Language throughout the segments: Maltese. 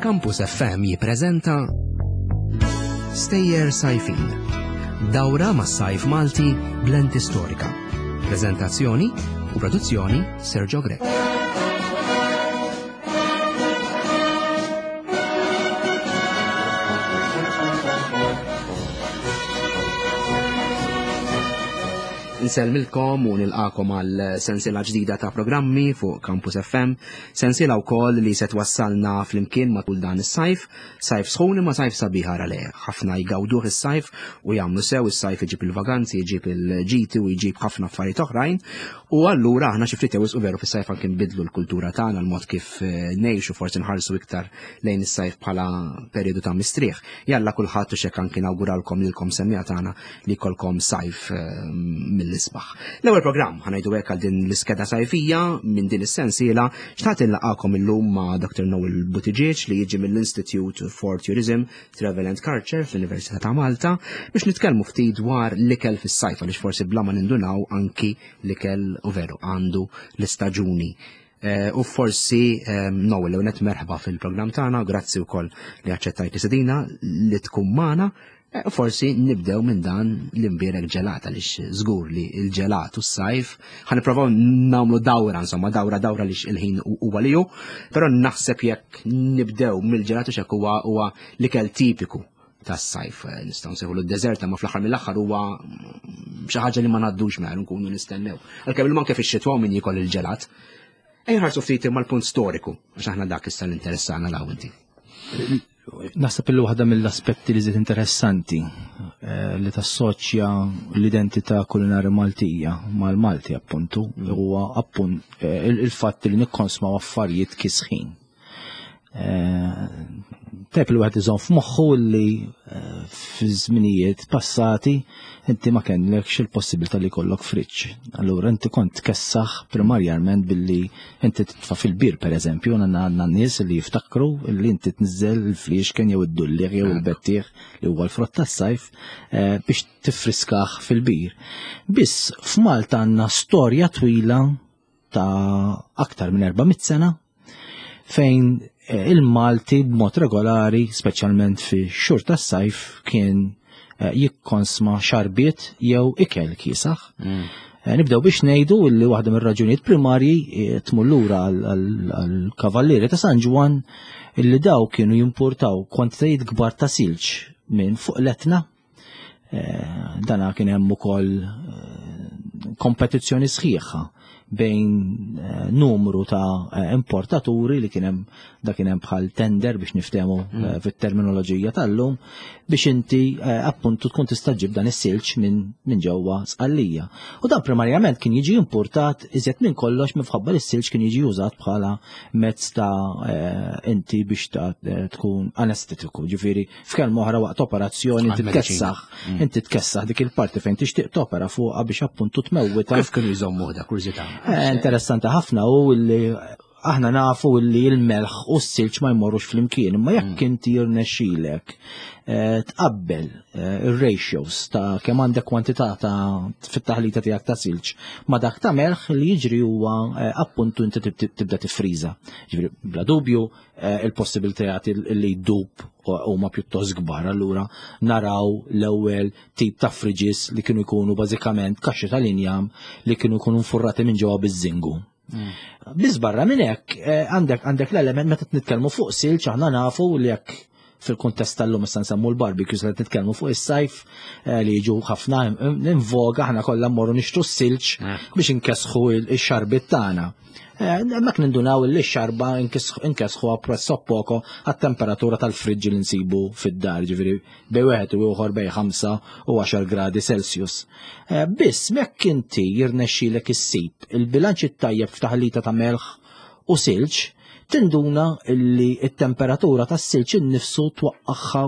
Campus FM jippreżenta Stejjer Sajfin. Dawra mas sajf Malti b'lenti storika. Preżentazzjoni u produzzjoni Sergio Grech. Nsellmilkom u nilqakom għal sensiela ġdida ta' programmi fuq Campus FM, sensiela wkoll li se twassalna flimkien matul dan is-sajf, sajf sħun imma sajf sabiħ ara le, ħafna jgawduh is-sajf u jagħmlu sew is-sajf iġib il-vaganzi, iġib il-ġiti u jġib ħafna affarijiet oħrajn u allura aħna xi ftit u veru fis-sajf anke nbidlu l-kultura tagħna l-mod kif eh, ngħixu forsi nħarsu iktar lejn is-sajf bħala perjodu ta' mistrieħ. Jalla kulħadd u xek anki nawguralkom lilkom semmija tagħna li jkollkom sajf eh, mill-isbaħ. L-ewwel programm ħanajdu hekk għal din l-iskeda sajfija minn din is-sensiela xtaqt inlaqakom illum ma' Dr. Noel Buttigieg li jiġi mill-Institute for Tourism, Travel and Culture fl-Università ta' Malta biex nitkellmu ftit dwar l-ikel fis-sajf għaliex forsi bla ma nindunaw anki l-ikel u veru għandu l-istaġuni Eh, u forsi eh, Noel, l merħba fil-programm tagħna, grazzi wkoll li aċċettajt sedina li tkun magħna. Eh, forsi nibdew minn dan l-imbierek ġelat għaliex żgur li l-ġelat u s-sajf ħa nipprovaw nagħmlu dawra insomma dawra dawra li il-ħin huwa li hu, però naħseb jekk nibdew mill-ġelat u xek huwa huwa l-ikel tipiku tas-sajf eh, nistgħu nsejħu d-deżert ma fl-aħħar mill-aħħar huwa xi ħaġa li ma ngħaddux mela nkunu nistennew. Għalkemm il anke fix-xitwa min jikol il-ġelat. Ejja ħarsu ftit imma l-punt storiku għax aħna dak issa l-interessana l inti. Naħseb il waħda mill-aspetti li żied interessanti eh, li tassoċja l-identità kulinari Maltija mal-Malti appuntu huwa appunt eh, il-fatt li nikkonsmaw affarijiet kisħin. Eh, Tajb li wieħed iżomm f'moħħu li eh, fi żminijiet passati inti ma kellekx il-possibilità li jkollok friġġ. Allura inti kont tkessaħ primarjament billi inti titfa' fil-bir pereżempju, għandna għandna nies li jiftakru li inti tniżżel il-fliexken jew id-dulliegħ jew il-bettieħ li huwa l-frott tas-sajf eh, biex tiffriskaħ fil-bir. Biss f'Malta għandna storja twila ta' aktar minn 400 sena fejn eh, il-Malti b'mod regolari, speċjalment fi xhur tas-sajf, kien eh, jikkonsma xarbiet jew ikel kiesaħ. Mm. Eh, nibdew biex ngħidu li waħda mir-raġunijiet primarji tmur lura għall-kavallieri ta' San Ġwan illi daw kienu jimportaw kwantitajiet kbar ta' silġ minn fuq l-Etna Eh, dana kien hemm ukoll eh, kompetizzjoni sħiħa bejn eh, numru ta' importaturi li kien hemm da kien hemm bħal tender biex niftehmu mm. fit-terminoloġija tal-lum biex inti appuntu tkun tista' ġib dan is-silġ minn min ġewwa Sqallija. U dan primarjament kien jiġi importat iżjed minn kollox minħabba li s-silġ kien jiġi użat bħala mezz ta' inti biex ta' tkun anestetiku, ġifieri F'kelma oħra waqt operazzjoni inti tkessaħ, mm. inti tkessaħ dik il-parti fejn tixtieq topera fuqha biex appuntu tmewwita. Kif kienu jżommu da kurżità? Eh, interessanti ħafna u li aħna nafu li l-melħ u s-silġ ma jmorrux flimkien, imma jekk mm. inti jirnexxilek eh, tqabbel eh, ir-ratios ta' kemm għandek kwantità ta' fit-taħlita tiegħek ta' silġ ma dak ta' melħ li jiġri huwa appuntu inti tibda tifriża. Ġifieri bla dubju Eh, il-possibilitajiet li jdub huma pjuttost kbar. Allura naraw l-ewwel tip ta' fridges li kienu jkunu bażikament kaxxi tal-injam li kienu jkunu nfurrati minn ġewwa biż-żingu. Mm. Biss barra minn hekk eh, għandek għandek l-element meta nitkellmu fuq silġ aħna nafu li jekk fil-kuntest tal-lum issa nsemmu l-barbecues li nitkellmu fuq is-sajf eh, li jiġu ħafna invoga aħna kollha mmorru nixtru s-silġ eh. biex inkesħu x-xarbit tagħna. Eh, hemmhekk nindunaw li x-xarba inkesħu presso poco għat-temperatura tal-friġġ li nsibu fid-dar, ġifieri bej wieħed u ieħor bej 5 u 10 gradi Celsius. Biss mekk inti jirnexxilek issib il-bilanċ it-tajjeb f'taħlita ta' melħ u silġ, tinduna li t-temperatura tas-silġ innifsu twaqqagħha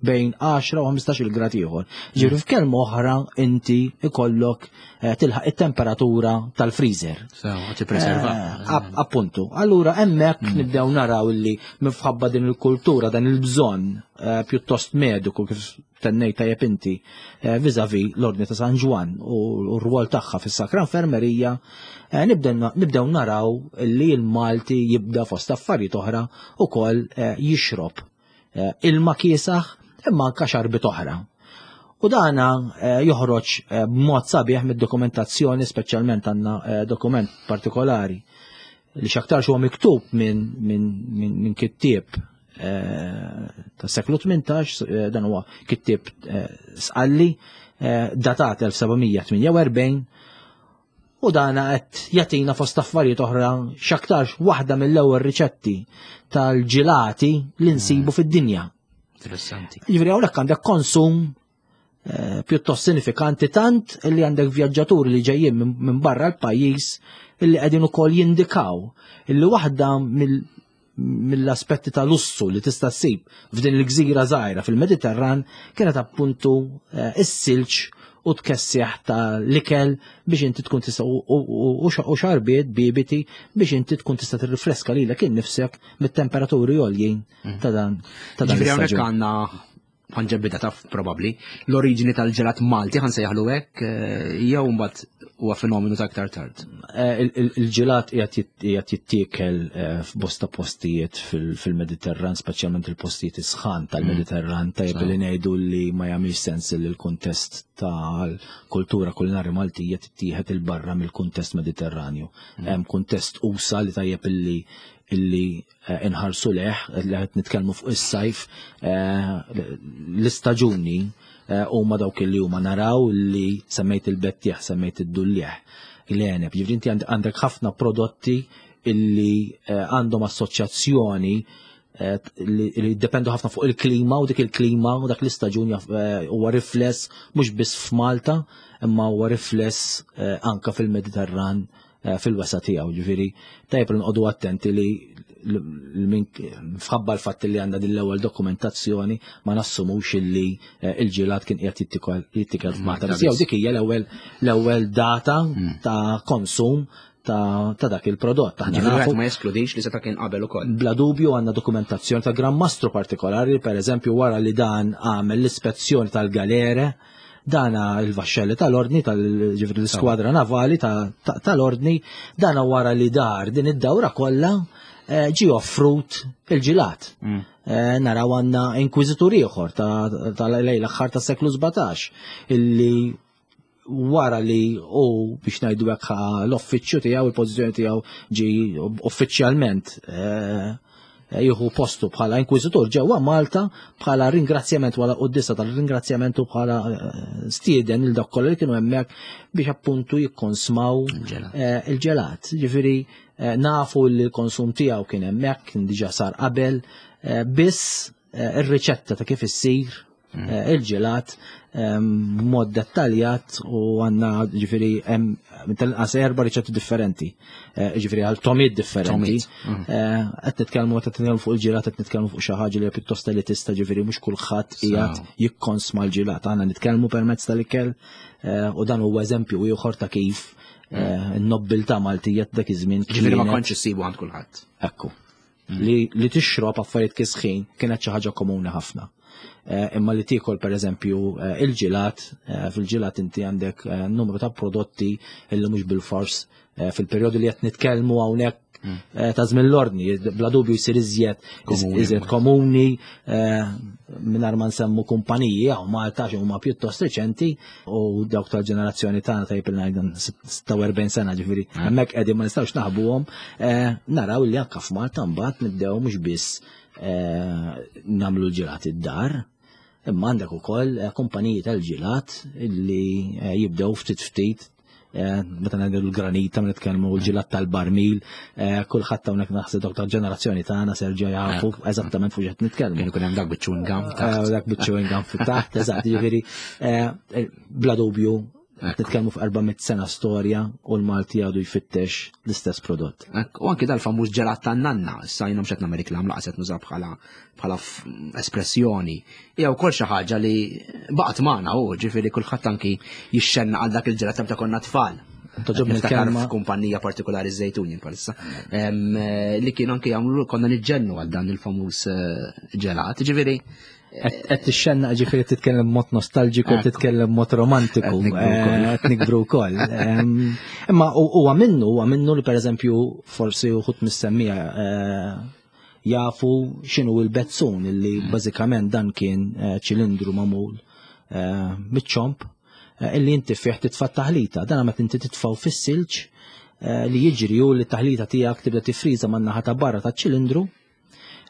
bejn 10 u 15 grad ieħor. Ġifieri f'kelma oħra inti ikollok eh, tilħaq it-temperatura tal-freezer. Tippreserva. Eh, appuntu. Allura hemmhekk mm. nibdew naraw li minħabba din il-kultura dan il-bżonn eh, pjuttost mediku kif tennejt tajjeb inti eh, viżavi l-Ordni ta' San Ġwann u r-rwol tagħha fis-Sakra Infermerija, eh, nibdew naraw li l-Malti jibda fost affarijiet oħra ukoll eh, jixrob ilma kiesaħ imma anka xarbit oħra. U dana joħroġ b'mod sabiħ mid-dokumentazzjoni, speċjalment għandna dokument partikolari li x'aktarx huwa miktub minn min, min, min kittieb eh, tas seklu 18, eh, dan huwa kittieb eh, sqalli, datat 1748, u dana qed jagħtina fost affarijiet oħra x'aktarx waħda mill-ewwel riċetti tal-ġilati li nsibu mm. fid-dinja. Interessanti. Jiġifieri hawnhekk għandek konsum Eh, pjuttost sinifikanti tant li għandek vjaġġaturi li ġejjin minn barra l-pajjiż illi qegħdin ukoll jindikaw illi waħda mill-aspetti ta' lussu li tista' ssib f'din il-gżira żgħira fil-Mediterran kienet appuntu eh, is-silġ u tkessieħ ta' l-ikel biex inti tkun tista' u xarbiet bibiti biex inti tkun tista' tirrifreska lilek innifsek mit-temperaturi għoljin mm. ta' dan ta' dan. Ġifieri hawnhekk għandna ħanġebbida taf probabbli, l-oriġini tal-ġelat Malti ħan sejjaħlu hekk eh, jew mbagħad huwa fenomenu ta' aktar tard. Eh, il-ġelat qiegħed jittiekel eh, f'bosta postijiet fil-Mediterran, speċjalment il-postijiet isħan tal-Mediterran, mm. tajjeb li ngħidu li ma jagħmilx sens li l-kuntest tal-kultura kulinari Maltija tittieħed il-barra mill-kuntest Mediterranju. Mm. Hemm kuntest usa li tajjeb illi illi eh, inħarsu leħ, li qed nitkellmu fuq is-sajf, eh, l-istaġuni eh, huma dawk li huma naraw li semmejt il-bettieħ, semmejt id-dullieħ, l-għeneb. Ġifieri inti għandek ħafna prodotti illi għandhom assoċjazzjoni li jiddependu ħafna fuq il-klima u dik il-klima u dak l-istaġun huwa rifless mhux biss f'Malta imma huwa rifless anka fil-Mediterran Eh, fil-wesa tiegħu, ġifieri tajjeb li nqogħdu attenti li fħabba l-fatt li għandna din l-ewwel dokumentazzjoni ma nassumux illi eh, il-ġilat kien qiegħed jittikel f'Malta. Biss jew dik hija l-ewwel l-ewwel data hmm. ta' konsum ta' dak il-prodott. Aħna nafu ma jeskludix li seta' kien qabel ukoll. Bla dubju għandna dokumentazzjoni ta' Gran Mastru partikolari, per eżempju wara li dan għamel l-ispezzjoni tal-galere, Dana il-vaxxelli tal-ordni, tal-ġifri l-iskwadra navali tal-ordni, dana wara li dar din id-dawra kollha eh, ġi offrut il-ġilat. Mm. Eh, naraw għandna inkwiżitur ieħor tal-lejl aħħar tas-seklu 17 illi wara li u biex ngħidu hekk l-uffiċċju tiegħu, il-pożizzjoni tiegħu ġi uffiċjalment eh, Eh, jieħu postu bħala inkwiżitur ġewwa Malta bħala ringrazzjament wara quddisa tal-ringrazzjament u bħala eh, stieden il dak kollha li kienu hemmhekk biex appuntu jikkonsmaw eh, il-ġelat. Ġifieri nafu li l-konsum tiegħu kien hemmhekk, kien diġà sar qabel, biss ir-riċetta ta' kif issir mm. eh, il-ġelat ehm, b'mod dettaljat u għanna ġifiri tal-inqas erba riċetti differenti, eh, ġifiri għal tomiet differenti. Mm. Eh, qed nitkellmu qed nitkellmu fuq il-ġelat, qed nitkellmu fuq xi ħaġa li pjuttost elitista ġifiri mhux kulħadd qiegħed jikkonsma l-ġelat. Għandna nitkellmu permezz tal-ikel u dan huwa eżempju ieħor ta' kif mm. n-nobbiltà Maltija dak iż-żmien. Ġifieri ma kontx issibu għand kulħadd. Ekku. Li, li tixrob affarijiet kisħin kienet xi ħaġa komuni ħafna. Eh, imma li tiekol pereżempju eh, il-ġilat, eh, fil-ġilat inti għandek numru ta' prodotti illi mhux bil-fors fil-perjodu li qed nitkellmu hawnhekk mm. ta' żmien l-ordni, bla dubju jsir iżjed iżjed komuni mingħajr ma nsemmu kumpaniji hawn Malta xi huma pjuttost riċenti u dawk tal-ġenerazzjoni tagħna tajjeb il ngħidu 46 sena ġifieri eh. hemmhekk qegħdin ma nistgħux naħbuhom eh, naraw li anke f'Malta mbagħad nibdew mhux biss eh, nagħmlu l-ġilat id-dar, imma għandek ukoll kumpaniji tal-ġilat li jibdew ftit ftit Eh, meta ngħidu l-granita, meta nitkellmu l-ġilat tal-barmil, eh, kulħadd hawnhekk naħseb dawk tal-ġenerazzjoni tagħna serġa' jafu eh. eżattament fuq x'qed nitkellmu. Kien ikun hemm dak biċ-chewing gum taħt. Dak biċ-chewing gum fit-taħt, eżatt, jiġifieri bla dubju nitkellmu fuq 400 sena storja u l-Malti għadu jfittex l-istess prodott. U anki dal-famuż ġelat tan-nanna, issa jiena mhux qed nagħmel reklam laqas qed nuża bħala bħala espressjoni, hija wkoll xi ħaġa li baqgħet magħna u ġifieri kulħadd anki jixxenna għal dak il-ġelat ta' konna tfal. Toġobni l-kelma. F'kumpanija partikolari żejtun palissa. Eh, li kienu anki jagħmlu konna niġġennu għal dan il-famuż eh, ġelat. Ġifieri. Qed tixxenna ġifieri titkellem mod nostalġiku, titkellem mod romantiku, qed nikbru wkoll. Imma huwa minnu, huwa minnu li pereżempju forsi uħud missemmija eh, jafu x'inhu l-bezzun illi mm. bażikament dan kien eh, ċilindru magħmul eh, miċ-ċomp illi inti fih titfa' taħlita. Dan meta inti titfgħu fis-silġ li jiġri u li t-taħlita tiegħek tibda tifriża man-naħa ta' barra taċ-ċilindru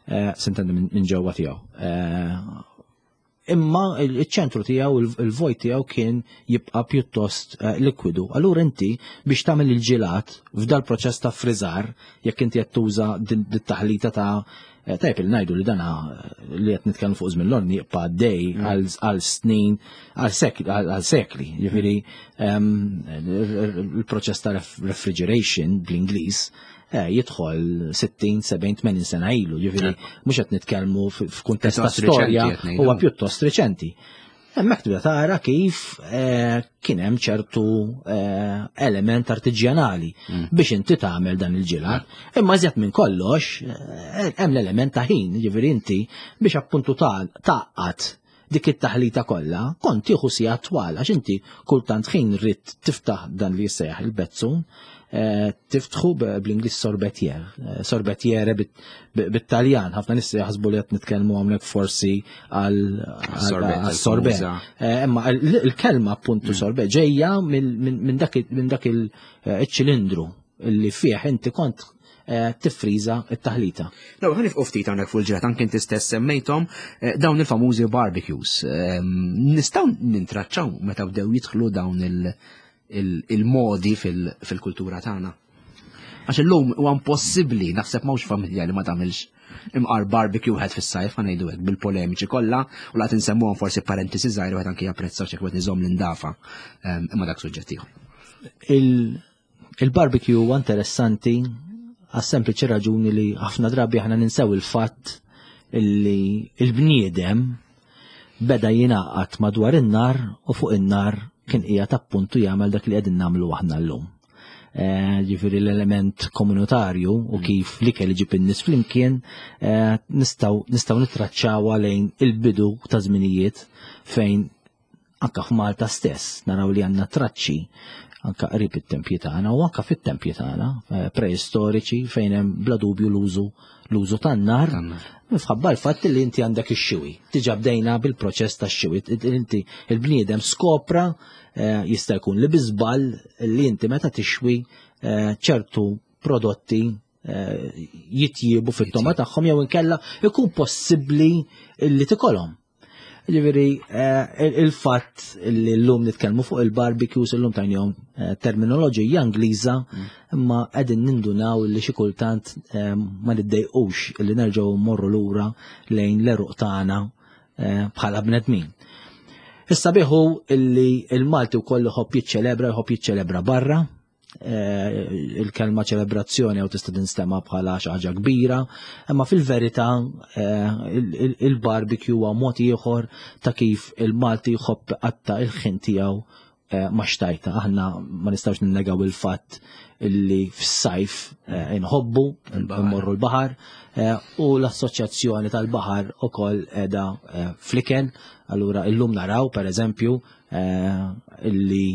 Eh, sintendi minn ġewwa tiegħu. Eh, imma il-ċentru tiegħu, il-vojt tiegħu kien jibqa' pjuttost eh, likwidu. Allura inti biex tagħmel il-ġilat f'dal proċess ta' friżar, jekk inti qed tuża din taħlita ta' tajb il ngħidu li dana li qed nitkellmu fuq żmien l-orni jibqa' għaddej mm. għal snin, għal sekli. Jiġifieri ehm, il-proċess ta' refrigeration bl-Ingliż Eh, jidħol 60, 70, 80 sena ilu, ġifieri mhux qed nitkellmu f'kuntest ta' storja huwa pjuttost reċenti. Hemmhekk tibda tara kif eh, kien hemm ċertu eh, element artiġjanali mm. biex inti tagħmel dan il-ġilat. Imma iżjed minn kollox hemm l-element ta' ħin, ġifieri inti biex appuntu taqqat dik it-taħlita kollha, kont tieħu sigħat twal għax inti kultant ħin rrid tiftaħ dan li jissejjaħ il-bezzun, eh, tiftħu bl-Ingliż sorbetier, eh, sorbetiere bit-Taljan, ħafna nies jaħsbu li qed nitkellmu hawnhekk forsi għal sorbet. Eh, imma il-kelma appuntu mm. sorbet ġejja minn dak il-ċilindru li fih inti kont Eh, tiffriża t-taħlita. No, ħa nifqu ftit hawnhekk fuq il-ġrat anke inti stess semmejthom eh, dawn il-famużi barbecues. Ehm, nistgħu nintraċċaw meta bdew jidħlu dawn il-modi fil-kultura tagħna. Għax illum huwa impossibbli naħseb m'hawnx familja li ma tagħmilx imqar barbecue wieħed fis-sajf ħa ngħidu hekk bil-polemiċi kollha u laqt insemmuhom forsi parentesi żgħir wieħed anke japprezzaw x'hekk wieħed iżomm l-indafa ehm, imma dak suġġett ieħor. Il-barbecue huwa interessanti għas-sempliċi raġuni li ħafna drabi aħna ninsew il-fatt illi il-bniedem beda jingħaqad madwar in-nar u fuq in-nar kien qiegħed appuntu jagħmel dak li qegħdin nagħmlu aħna llum. Eh, ġifieri l-element komunitarju u mm. kif l-ikel iġib in-nies flimkien eh, nistgħu nistgħu nittraċċawha lejn il-bidu ta' żminijiet fejn Anka f'Malta stess naraw li għandna traċċi anka qrib it-tempji tagħna u anka fit-tempji tagħna eh, preistoriċi fejn hemm bla dubju l-użu l-użu tan-nar. Minħabba l-fatt li inti għandek ix-xiwi. Diġà bdejna bil-proċess tax-xiwi. Inti il-bniedem skopra eh, jista' jkun li biżball li inti meta tixwi eh, ċertu prodotti jitjiebu fit-toma tagħhom jew inkella ikun possibbli li tikolhom. Ġifieri eh, il-fatt li llum nitkellmu fuq il-barbecues illum tajnihom eh, terminoloġija Ingliża mm. imma qegħdin nindunaw li xi kultant eh, ma niddejqux li nerġgħu mmorru lura lejn l-eruq tagħna bħala bnedmin. Issa biħu illi il-Malti wkoll iħobb jiċċelebra, jħobb jiċċelebra barra, Eh, il-kelma ċelebrazzjoni jew tista' tinstema' bħala xi ħaġa kbira, imma fil-verità eh, il-barbecue huwa mod ieħor ta' kif il-Malti jħobb qatta il-ħin tiegħu eh, ma' xtajta. Aħna ma nistgħux ninnegaw il-fatt illi fis-sajf inħobbu mmorru l-baħar u l-assoċjazzjoni tal-baħar ukoll qiegħda fl-ikel. Allura illum naraw pereżempju illi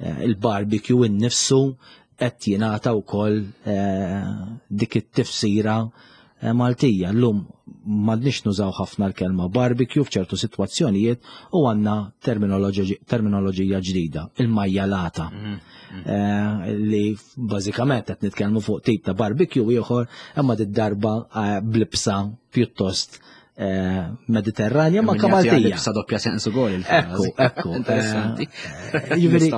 Eh, il-barbecue innifsu qed jingħata wkoll eh, dik it-tifsira eh, Maltija. Llum m'għandniex nużaw ħafna l-kelma barbecue f'ċertu sitwazzjonijiet u għandna terminoloġija ġdida, il-majjalata. Mm, mm. Li bażikament qed nitkellmu fuq tip ta' barbecue ieħor imma darba blibsa pjuttost Eh, Mediterranja ma kamaltija. Sa doppja sens ukoll. Ekku, ekku. Interessanti. Eh, jiġifieri,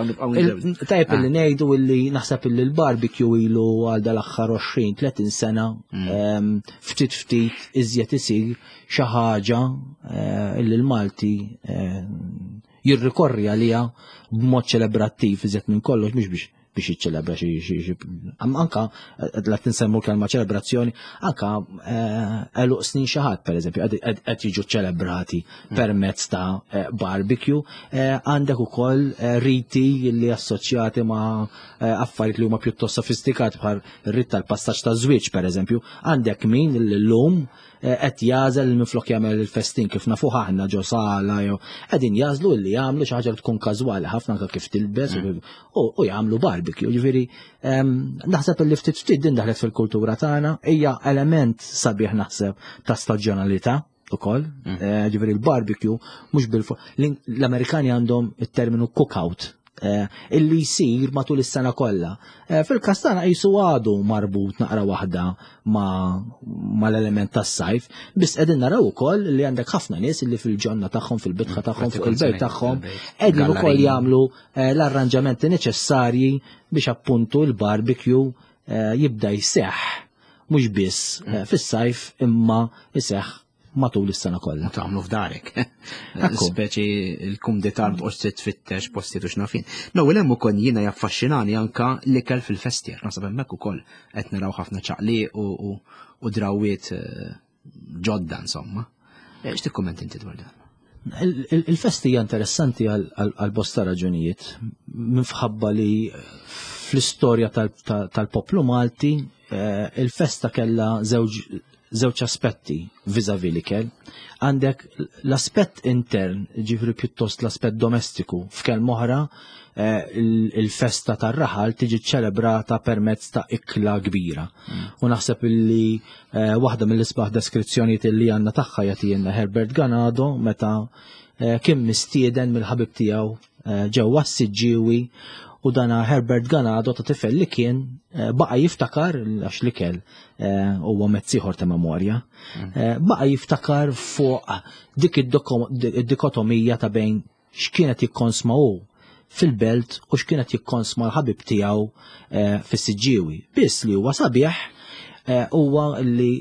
tajjeb li ah. ngħidu illi naħseb illi l-barbecue ilu għal dal-aħħar 20-30 sena mm. ehm, ftit ftit iżjed isir xi ħaġa eh, illi l-Malti jirrikorri għaliha b'mod ċelebrattiv iżjed minn kollox mhux biex biex jiċċelebra xi xi anka eh, la tinsemmu kelma ċelebrazzjoni, anka eh, għeluq snin xi ħadd pereżempju qed jiġu ċelebrati mm. permezz ta' eh, barbecue, għandek ukoll riti li assoċjati ma' affarijiet li huma pjuttost sofistikati bħal rit tal-passaġġ ta' żwieġ pereżempju, għandek min l-lum Eh, qed jażel li minflok jagħmel il-festin kif nafuh aħna ġo sala jew qegħdin jażlu li jagħmlu xi ħaġa li tkun każwali ħafna anke kif tilbes mm. u jagħmlu barbecue. Ġifieri naħseb li ftit ftit din daħlet fil-kultura tagħna hija element sabiħ naħseb ta' staġjonalità ukoll. Mm. Eh, ġifieri l-barbecue mhux bil l-Amerikani għandhom it-terminu cookout Eh, illi jsir matul is-sena kollha. Eh, fil-każ tagħna qisu għadu marbut naqra waħda mal-element tas-sajf, biss qegħdin naraw ukoll li għandek ħafna nies illi fil-ġonna tagħhom, fil-bitħa tagħhom, fuq il-bejt tagħhom, qegħdin ukoll jagħmlu eh, l-arranġamenti neċessarji biex appuntu l-barbecue jibda jseħħ mhux biss fis-sajf imma jseħħ matul is-sena kollha. Tagħmlu f'darek. Speċi l-kumdità tqgħodx tfittex postijiet u x'nafin. L-ewwel hemm ukoll jiena jaffaxxinani anka l-ikel fil-festier. Naħseb hemmhekk ukoll qed naraw ħafna ċaqliq u drawwiet eh, ġodda insomma. Eh, x'tikkumment inti dwar dan? Il-festi hija interessanti għal bosta raġunijiet minħabba li fl-istorja tal-poplu Malti eh, il-festa kellha żewġ żewġ aspetti viżavi l-ikel. Għandek l-aspett intern, ġifri pjuttost l-aspett domestiku, f'kelma oħra eh, il-festa tar-raħal tiġi ċelebrata permezz ta' ikla kbira. Mm. U naħseb illi eh, waħda mill-isbaħ deskrizzjonijiet li għandna tagħha jagħtina Herbert Ganado meta eh, kien mistieden mill-ħabib tiegħu ġewwa s-Siġġiewi u dana Herbert Ganado ta' tifel li kien eh, baqa' jiftakar għax l-ikel eh, huwa mezz ieħor ta' memorja, mm. eh, baqa' jiftakar fuq dik id-dikotomija ta' bejn x'kienet jikkonsma hu fil-belt u x'kienet jikkonsma l-ħabib tiegħu fis-Siġġiewi. Biss li huwa sabiħ huwa li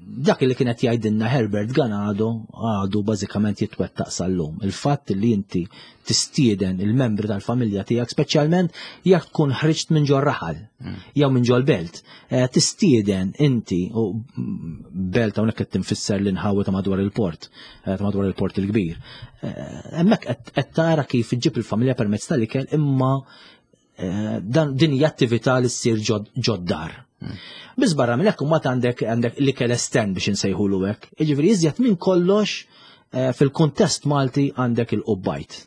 dak li kienet jgħidilna Herbert Ganado għadu bażikament jitwettaq sal-lum. Il-fatt li inti tistieden il-membri tal-familja tiegħek speċjalment jekk tkun ħriġt minn ġol raħal mm. jew minn ġol belt, eh, tistieden inti u belt hawnhekk qed tinfisser l-inħawi ta' madwar il-port, eh, ta' madwar il-port il-kbir. Eh, hemmhekk qed tara kif iġġib il-familja permezz tal-ikel imma Eh, dan din hija attività li ssir ġoddar. Hmm. Biss barra minn hekk imbagħad għandek għandek l-ikel estern biex insejħulu hekk. Jiġifieri iżjed minn kollox eh, fil-kuntest Malti għandek il-qubbajt.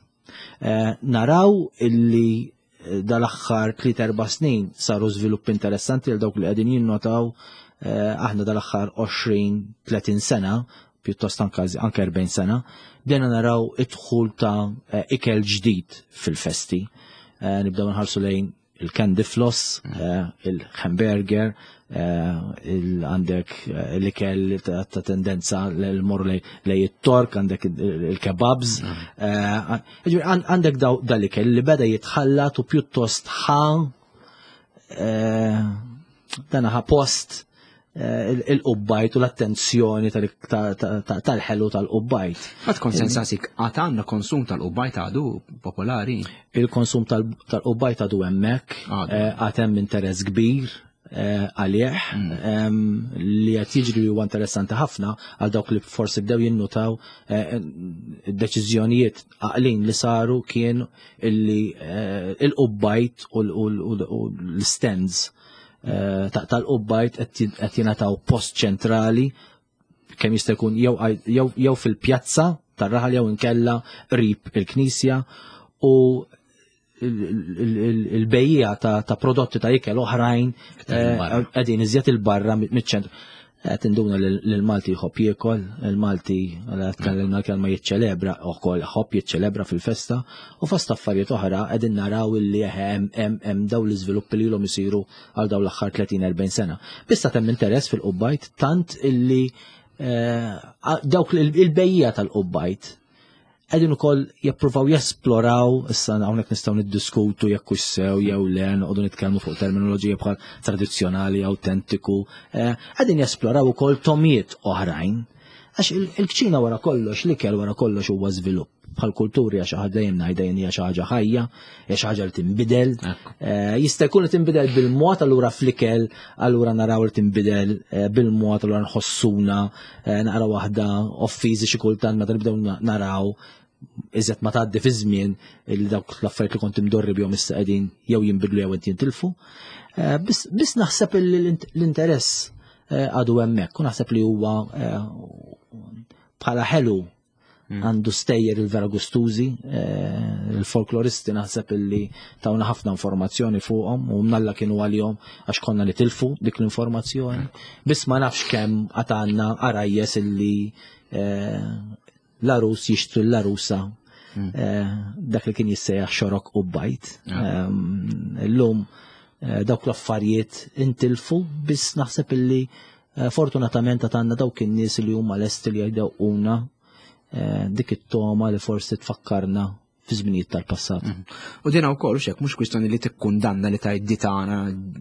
Eh, naraw illi dal-aħħar 3-4 snin saru żviluppi interessanti għal dawk li qegħdin jinnotaw aħna dal-aħħar 20-30 sena pjuttost anke 40 sena, bdejna naraw id-dħul ta' eh, ikel ġdid fil-festi. Eh, nibdew nħarsu lejn il-candy floss, mm. eh, il-hamburger, għandek l-ikel ta' tendenza l-mor lej it-tork, għandek il-kebabs, mm. għandek dal-ikel li beda jitħallat u pjuttost ħa dan ħa post eh, il-qubbajt u l-attenzjoni tal-ħelu tal-qubbajt. Ma tkun sensasik għad għandna konsum tal-qubbajt għadu popolari? Il-konsum tal-qubbajt għadu hemmhekk, eh, għad hemm interess kbir eh, għalih mm. li qed jiġri huwa interessanti ħafna għal dawk li forsi bdew jinnutaw deċiżjonijiet għaqlin li saru kien illi il-qubbajt u l-stands eh, tal-qubbajt qed jingħataw post ċentrali kemm jista' jkun jew fil-pjazza tar-raħal jew inkella qrib il-knisja u il-bejja ta' prodotti ta' ikel oħrajn eh, qegħdin iżjed il-barra miċ-ċentru. Qed induna li l-Malti jħobb jiekol, il-Malti tkellimna l-kelma jiċċelebra ukoll ħobb jiċċelebra fil-festa u fost affarijiet oħra qegħdin naraw illi hemm hemm hemm dawn l-iżviluppi li ilhom isiru għal dawn l-aħħar 30-40 sena. Biss hemm interess fil-qubbajt tant illi eh, dawk il-bejja tal-qubbajt Qegħdin ukoll jippruvaw jesploraw, issa hawnhekk nistgħu niddiskutu jekk hux sew jew le, noqogħdu nitkellmu fuq terminoloġija bħal tradizzjonali, awtentiku, eh, qegħdin jesploraw ukoll tomiet oħrajn. Għax il-kċina wara kollox, l-ikel wara kollox huwa żvilupp. Bħal kulturi għax ħaġa dejjem ngħidha jien hija xi ħaġa ħajja, hija xi ħaġa li tinbidel. Jista' jkun li tinbidel bil-mod allura fl-ikel, allura naraw li tinbidel bil-mod allura nħossuna naqra waħda offiżi xi kultant meta nibdew naraw iżjed ma tgħaddi fi żmien li dawk l-affarijiet li kont imdorri bihom issa qegħdin jew jinbidlu jew qed jintilfu. Biss naħseb l-interess għadu hemmhekk u naħseb li huwa bħala ħelu għandu stejjer il-vera gustużi, il-folkloristi naħseb illi tawna ħafna informazzjoni fuqhom u mnalla kienu għalihom għax konna nitilfu dik l-informazzjoni. Biss ma nafx kemm għad għandna għarajjes illi l-arus jixtri l-arusa dak li kien jissejjaħ xorok u bajt. Illum dawk l-affarijiet intilfu biss naħseb illi fortunatament għad għandna dawk in-nies li huma lesti li jdewquna dik it-toma li forsi tfakkarna fi żminijiet tal-passat. U dina wkoll xek mhux kwistjoni li tikkundanna li tgħid di tagħna,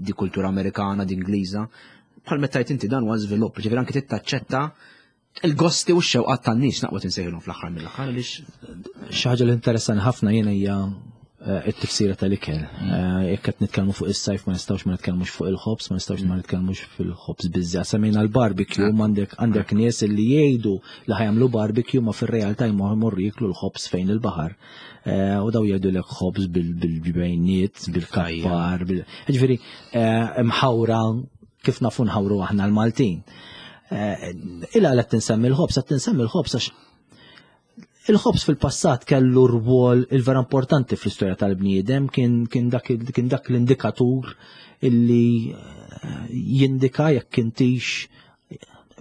di kultura Amerikana, di Ingliża. Bħal meta tgħid inti dan huwa żvilupp, ġifieri anke tittaċċetta il-gosti u x-xewqat tan-nies naqwa tinsejħilhom fl-aħħar mill-aħħar għaliex Xi ħaġa li interessani ħafna jiena hija it-tifsira tal-ikel. Jekk qed nitkellmu fuq is-sajf ma nistgħux ma nitkellmux fuq il-ħobż, ma nistgħux ma nitkellmux fil-ħobż biżżejjed. Semmejna l-barbecue, għandek nies li jgħidu li ħajamlu barbecue ma fir-realtà jmorru jieklu l-ħobż fejn il-baħar. U daw jgħidulek ħobż bil-ġbejniet, bil-kappar, ġifieri mħawra kif nafu nħawru aħna l-Maltin. Ila qed tinsemmi l-ħobż, qed tinsemmi l-ħobż għax il-ħobż fil-passat kellu rwol il-vera importanti fl-istorja tal-bniedem, kien dak l-indikatur illi jindika jekk intix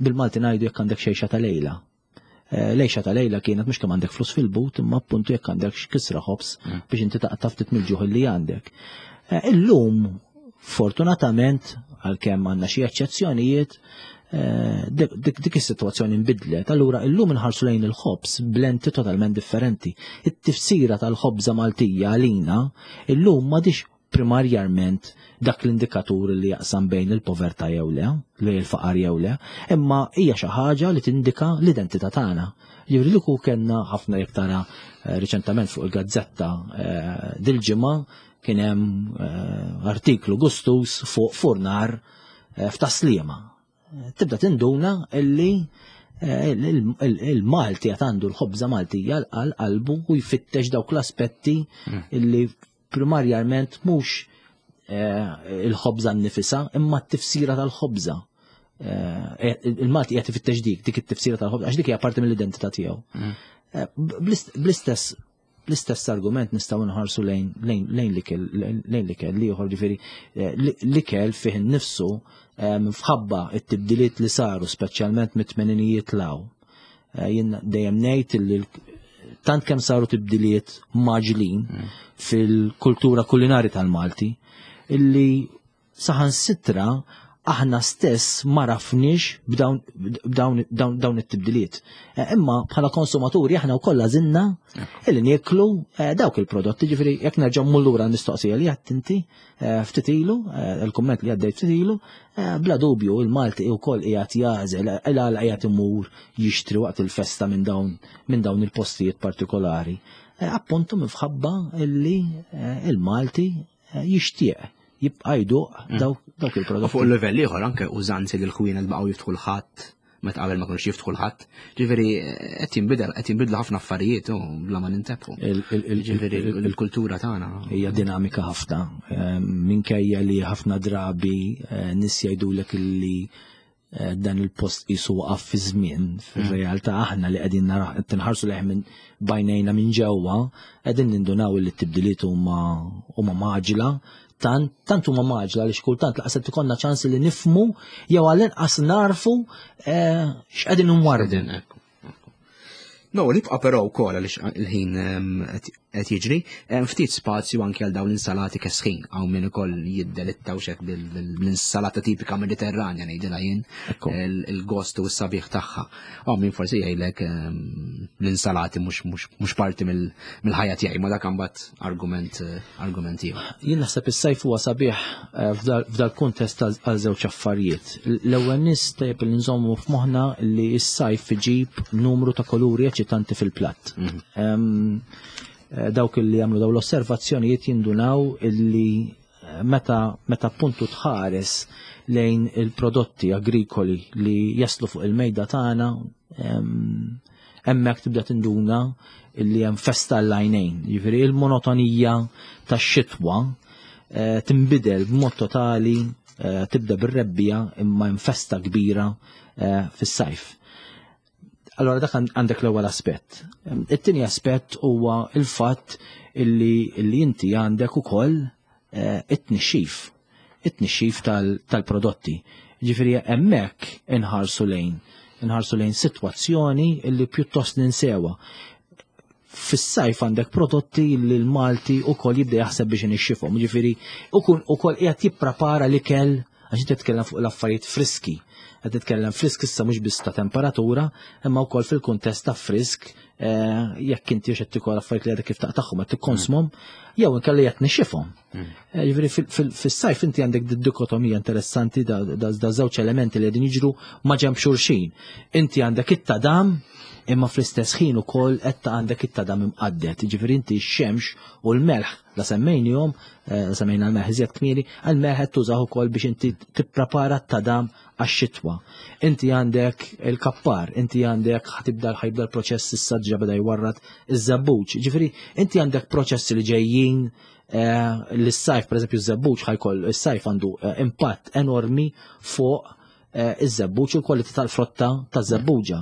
bil-Malti ngħidu jekk għandek xejxa ta' lejla. Lejxa ta' lejla kienet mhux kemm għandek flus fil-but, imma appuntu jekk għandek kisra ħobż biex inti taqta' ftit mill-ġuħ li għandek. Illum, fortunatament, għalkemm għandna xi eċċezzjonijiet, dik is-sitwazzjoni nbidlet. Allura illum inħarsu lejn il-ħobż b'lenti totalment differenti. It-tifsira tal-ħobża Maltija għalina illum m'għadix primarjament dak l-indikatur li jaqsam bejn il-povertà jew le, li l-faqar jew le, imma hija xi ħaġa li tindika l-identità tagħna. Jiġifieri li kieku kellna ħafna jekk tara riċentament fuq il-gazzetta dil-ġimgħa kien hemm artiklu gustus fuq furnar f'Taslima. Tibda tinduna illi il-Malti għad għandu l-ħobża Maltija għal qalbu u jfittex dawk l-aspetti illi primarjament mhux il-ħobża nnifisha imma t-tifsira tal-ħobża. Il-Malti qed ifittex dik it-tifsira tal-ħobża għax dik hija parti mill-identità tiegħu. Bl-istess argument nistgħu nħarsu lejn l-ikel ieħor, ġifieri l-ikel fih innifsu fħabba it-tibdiliet li saru speċjalment mit-tmeninijiet law. Jien dejjem ngħid li tant kemm saru tibdiliet maġlin fil-kultura kulinari tal-Malti illi saħansitra aħna stess ma rafniex b'dawn it-tibdiliet. Imma bħala konsumaturi aħna wkoll għażilna illi nieklu dawk il-prodotti, ġifieri jekk nerġa' mmur lura l-mistoqsija li għedt inti ftit ilu, il-kumment li għaddejt ftit ilu, bla dubju il-Malti wkoll qiegħed jagħżel il-għala qiegħed imur jixtri waqt il-festa minn dawn il-postijiet partikolari. Appuntu minħabba illi il-Malti jixtieq jibqa' jduq dawk il-prodotti. U fuq il-livell ieħor anke użanzi li l-ħwienet baqgħu jiftħu l-ħadd meta qabel ma kinux jiftħu l-ħadd. Ġifieri qed jinbidel, qed jinbidlu ħafna affarijiet u bla ma nintebħu. Ġifieri il-kultura tagħna hija dinamika ħafna. Minkejja li ħafna drabi nies jgħidulek illi dan il-post qisu waqaf fi żmien, fir-realtà aħna li qegħdin qed tinħarsu lejh minn bajnejna minn ġewwa, qegħdin nindunaw li t-tibdiliet huma maġla, tant huma maġla li xkultant laqas qed ikollna ċans li nifmu jew għall-inqas narfu x'qegħdin nwarbu. Qegħdin, ekku, ekku. No, nibqa' però wkoll għaliex il-ħin qed jiġri, hemm ftit spazju anke għal dawn l-insalati kesħin, hawn min ukoll jiddelitta u xek bil-insalata tipika Mediterranja ngħidilha jien, il-gost u s-sabiħ tagħha. Hawn min forsi jgħidlek l-insalati mhux parti mill-ħajja tiegħi, ma dak imbagħad argument ieħor. Jien naħseb is-sajf huwa sabiħ f'dal kuntest għal żewġ affarijiet. L-ewwel nies tajjeb li nżommu f'moħħna li s-sajf iġib numru ta' kuluri eċitanti. eċitanti fil-platt. Mhm. Eh, dawk li jagħmlu daw l-osservazzjonijiet jindunaw illi eh, meta meta appuntu tħares lejn il-prodotti agrikoli li jaslu fuq il-mejda tagħna hemmhekk tibda tinduna illi hemm festa l-għajnejn. Jiġifieri il-monotonija tax-xitwa eh, tinbidel b'mod totali tibda bir-rebbija imma hemm festa kbira fis-sajf. Allora dak għandek l-ewwel aspett. It-tieni aspett huwa il-fatt illi, illi inti għandek ukoll eh, it-tnixxif, it-tnixxif tal-prodotti. Ġifieri hemmhekk inħarsu lejn, inħarsu lejn sitwazzjoni illi pjuttost ninsewa. Fis-sajf għandek prodotti li l-Malti ukoll jibda jaħseb biex inixxifhom. Ġifieri ukoll qiegħed jipprepara l-ikel għax inti titkellem fuq l-affarijiet friski. Qed titkellem frisk issa mhux biss ta' temperatura, imma wkoll fil-kuntest ta' frisk eh, jekk inti qed tikol affarijiet li għadek kif taqtagħhom qed tikkonsmhom, jew inkella qed nixxifhom. Mm. Eh, jiġifieri fis-sajf inti għandek dikotomija interessanti da żewġ elementi li qegħdin jiġru ma' ġenb xulxin. Inti għandek it-tadam imma fl-istess ħin ukoll qed għandek it-tadam imqaddet. Jiġifieri inti x-xemx u l-melħ la semmejnihom, eh, la semmejna l-melħ iżjed kmieni, għal-melħ qed tużah ukoll biex inti tipprepara t-tadam għax-xitwa. Inti għandek il-kappar, inti għandek ħatibda ħajbda l-proċess issa ġa beda jwarrad iż-żebbuġ. Ġifieri inti għandek proċessi li ġejjin eh, l-sajf, per eżempju, iż-żebbuġ ħajkoll, is-sajf għandu eh, impatt enormi fuq Eh, iż-żebbuġ u l-kwalità tal-frotta taż-żebbuġa.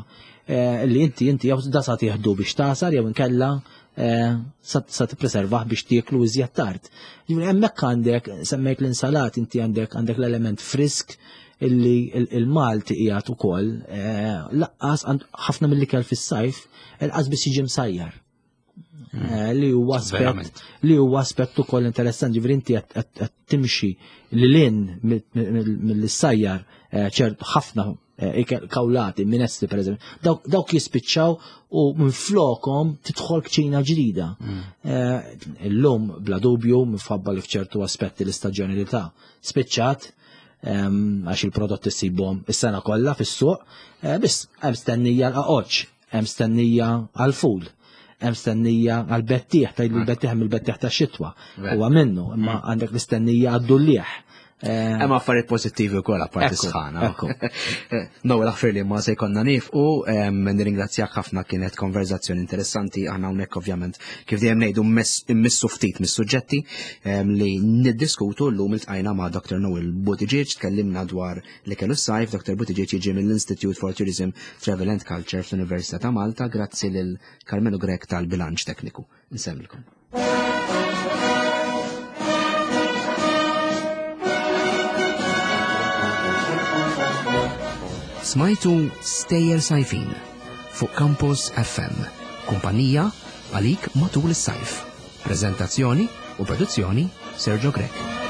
Eh, li inti inti jew da sa tieħdu biex tasar jew inkella eh, sa tippreservah biex tieklu iżjed tard. Ġifieri hemmhekk għandek semmejt l-insalat inti għandek għandek l-element frisk illi il-Malti qiegħed ukoll laqqas ħafna mill-ikel fis-sajf il-qas biss jiġi msajjar. Eh, li huwa aspett li huwa aspett ukoll interessanti, ġifieri inti qed timxi lil hinn mill-sajjar eh, ċert ħafna eh, kawlati, minestri pereżempju, dawk jispiċċaw u minflokhom tidħol kċina ġdida. Mm. Illum bla dubju minħabba li f'ċertu aspetti l-istaġjonalità spiċċat ehm, għax il-prodotti ssibhom is-sena kollha fis-suq, biss hemm stennija l-qaqoċ Hemm stennija għall-ful, hemm stennija għall-bettieħ, tgħidlu l-bettieħ mill-bettieħ tax-xitwa. Huwa minnu, imma mm. għandek l-istennija għad-dullieħ. Eh, hemm affarijiet pożittivi wkoll apparti sħana. Eh, Noel aħfir li ma se jkollna nifqu, nirringrazzjak ħafna kienet konverzazzjoni interessanti aħna hawnhekk ovvjament kif dejjem ngħidu mmissu ftit mis-suġġetti li niddiskutu llum iltqajna ma' Dr. Noel Buttigieg tkellimna dwar li kellu s-sajf, Dr. Buttigieg jiġi mill-Institute for Tourism, Travel and Culture fl-Università ta' Malta, grazzi lil Carmelo Grech tal-bilanċ tekniku. Nsemmilkom. Smajtu Stejjer Sajfin fuq Campus FM, kumpanija għalik matul is-sajf. Prezentazzjoni u produzzjoni Sergio Grech.